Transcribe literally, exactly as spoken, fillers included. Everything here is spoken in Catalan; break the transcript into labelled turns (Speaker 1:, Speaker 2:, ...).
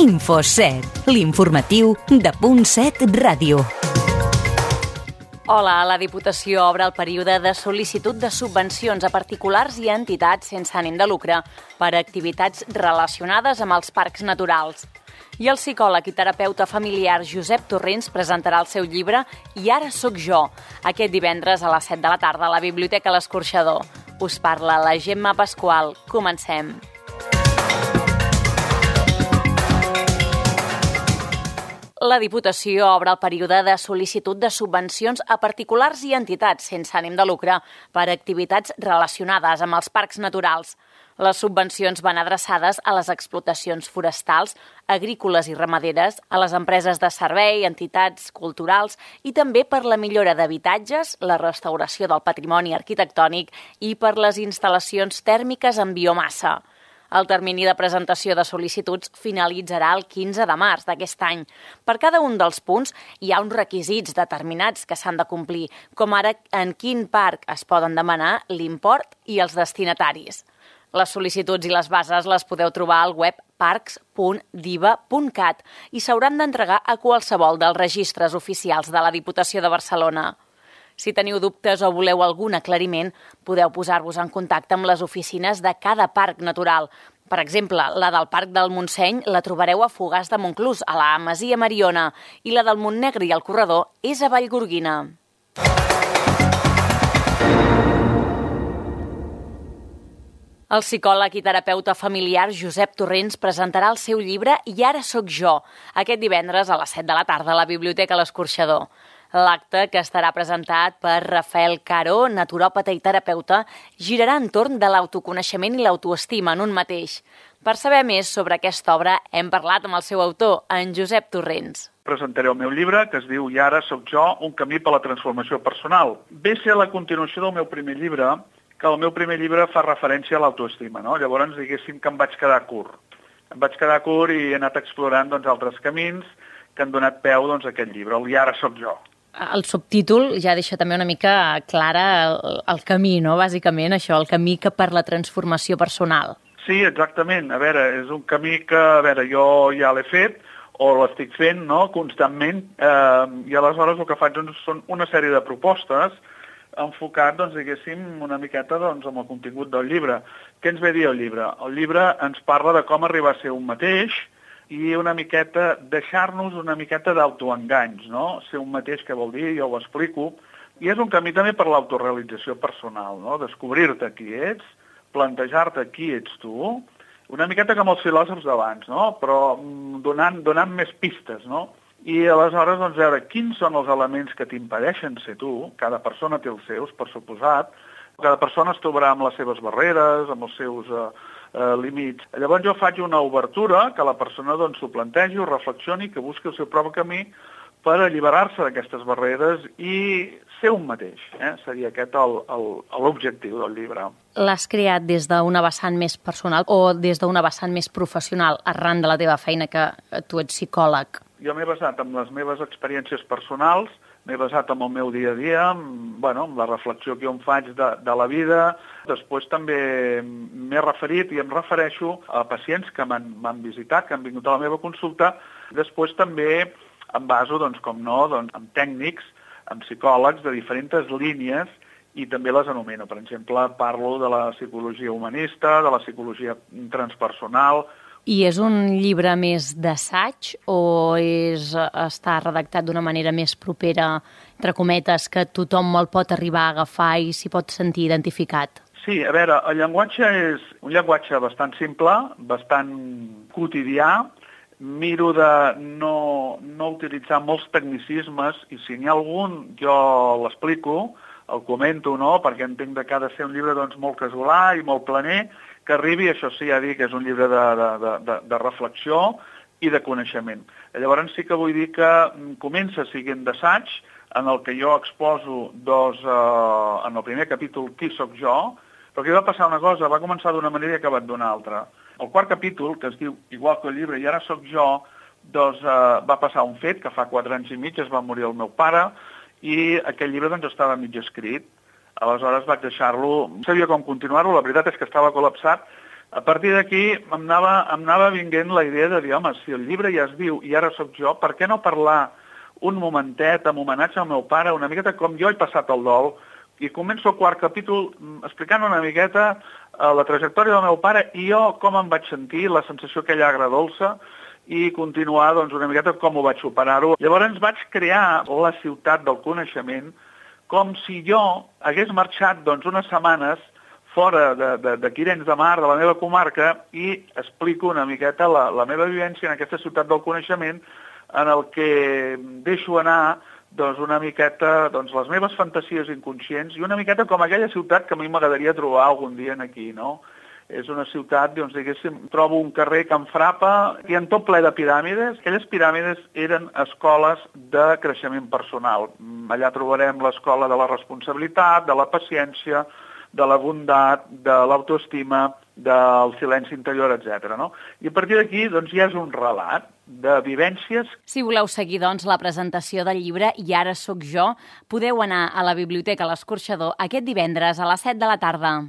Speaker 1: InfoSet, l'informatiu de Punt set Ràdio.
Speaker 2: Hola, la Diputació obre el període de sol·licitud de subvencions a particulars i a entitats sense ànim de lucre per a activitats relacionades amb els parcs naturals. I el psicòleg i terapeuta familiar Josep Torrents presentarà el seu llibre I ara sóc jo, aquest divendres a les set de la tarda a la Biblioteca L'Escorxador. Us parla la Gemma Pasqual. Comencem. La Diputació obre el període de sol·licitud de subvencions a particulars i entitats sense ànim de lucre per a activitats relacionades amb els parcs naturals. Les subvencions van adreçades a les explotacions forestals, agrícoles i ramaderes, a les empreses de servei, entitats culturals i també per la millora d'habitatges, la restauració del patrimoni arquitectònic i per les instal·lacions tèrmiques en biomassa. El termini de presentació de sol·licituds finalitzarà el quinze de març d'aquest any. Per cada un dels punts hi ha uns requisits determinats que s'han de complir, com ara en quin parc es poden demanar l'import i els destinataris. Les sol·licituds i les bases les podeu trobar al web parcs punt diva punt cat i s'hauran d'entregar a qualsevol dels registres oficials de la Diputació de Barcelona. Si teniu dubtes o voleu algun aclariment, podeu posar-vos en contacte amb les oficines de cada parc natural. Per exemple, la del Parc del Montseny la trobareu a Fogars de Montclús, a la Masia Mariona, i la del Montnegre i el Corredor és a Vallgorguina. El psicòleg i terapeuta familiar Josep Torrents presentarà el seu llibre I ara sóc jo, aquest divendres a les set de la tarda a la Biblioteca L'Escorxador. L'acte, que estarà presentat per Rafael Caro, naturòpata i terapeuta, girarà entorn de l'autoconeixement i l'autoestima en un mateix. Per saber més sobre aquesta obra, hem parlat amb el seu autor, en Josep Torrents.
Speaker 3: Presentaré el meu llibre, que es diu I ara sóc jo, un camí per a la transformació personal. Ve a ser la continuació del meu primer llibre, que el meu primer llibre fa referència a l'autoestima, no? Llavors, diguéssim que em vaig quedar curt. Em vaig quedar curt i he anat explorant doncs, altres camins que han donat peu doncs, a aquest llibre, el I ara sóc jo.
Speaker 2: El subtítol ja deixa també una mica clara el, el camí, no? Bàsicament això, el camí que per la transformació personal.
Speaker 3: Sí, exactament. A veure, és un camí que, a veure, jo ja l'he fet o l'estic fent, no?, constantment, eh, i aleshores el que faig doncs, són una sèrie de propostes enfocat, doncs, diguéssim, una miqueta doncs, amb el contingut del llibre. Què ens ve a dir el llibre? El llibre ens parla de com arribar a ser un mateix i una miqueta, deixar-nos una miqueta d'autoenganys, no? Ser un mateix, què vol dir? Jo ho explico. I és un camí també per l'autorealització personal, no? Descobrir-te qui ets, plantejar-te qui ets tu, una miqueta com els filòsofs d'abans, no? Però donant, donant més pistes, no? I aleshores, doncs, veure quins són els elements que t'impedeixen ser tu. Cada persona té els seus, per suposat. Cada persona es trobarà amb les seves barreres, amb els seus eh, eh, límits. Llavors jo faig una obertura, que la persona doncs, s'ho plantegi, ho reflexioni, que busqui el seu propi camí per alliberar-se d'aquestes barreres i ser un mateix. Eh? Seria aquest el, el, l'objectiu del llibre.
Speaker 2: L'has creat des d'una vessant més personal o des d'una vessant més professional arran de la teva feina, que tu ets psicòleg?
Speaker 3: Jo m'he basat en les meves experiències personals, m'he basat en el meu dia a dia, en, bueno, en la reflexió que jo em faig de, de la vida. Després també m'he referit i em refereixo a pacients que m'han visitat, que han vingut a la meva consulta. Després també em baso, doncs, com no, doncs, amb tècnics, amb psicòlegs de diferents línies i també les anomeno. Per exemple, parlo de la psicologia humanista, de la psicologia transpersonal.
Speaker 2: I és un llibre més d'assaig o és, està redactat d'una manera més propera, entre cometes, que tothom el pot arribar a agafar i s'hi pot sentir identificat?
Speaker 3: Sí, a veure, el llenguatge és un llenguatge bastant simple, bastant quotidià. Miro de no, no utilitzar molts tecnicismes i si n'hi ha algun jo l'explico, el comento, no?, perquè entenc que ha de ser un llibre doncs, molt casolà i molt planer, que arribi, això sí, ja dic, que és un llibre de, de, de, de reflexió i de coneixement. Llavors sí que vull dir que comença siguent d'assaig, en el que jo exposo dos, eh, en el primer capítol, qui sóc jo, però aquí va passar una cosa, va començar d'una manera i ha acabat d'una altra. El quart capítol, que es diu igual que el llibre, I ara sóc jo, doncs eh, va passar un fet, que fa quatre anys i mig es va morir el meu pare, i aquell llibre doncs estava mig escrit. Aleshores vaig deixar-lo, no sabia com continuar-lo, la veritat és que estava col·lapsat, A partir d'aquí em anava, em anava vinguent la idea de dir, home, si el llibre ja es diu I ara sóc jo, per què no parlar un momentet amb homenatge al meu pare, una miqueta com jo he passat el dol, i començo el quart capítol explicant una miqueta eh, la trajectòria del meu pare i jo com em vaig sentir, la sensació aquella agradolça, i continuar doncs, una miqueta com ho vaig superar-ho. Llavors vaig crear la ciutat del coneixement com si jo hagués marxat doncs, unes setmanes fora d'aquí dins de Mar, de la meva comarca, i explico una miqueta la, la meva vivència en aquesta ciutat del coneixement en el que deixo anar doncs, una miqueta doncs, les meves fantasies inconscients i una miqueta com aquella ciutat que a mi m'agradaria trobar algun dia aquí, no? És una ciutat, doncs, diguéssim, trobo un carrer que em frapa i en tot ple de piràmides. Aquelles piràmides eren escoles de creixement personal. Allà trobarem l'escola de la responsabilitat, de la paciència, de la bondat, de l'autoestima, del silenci interior, etcètera. No? I a partir d'aquí doncs, ja és un relat de vivències.
Speaker 2: Si voleu seguir doncs, la presentació del llibre I ara sóc jo, podeu anar a la Biblioteca L'Escorxador aquest divendres a les set de la tarda.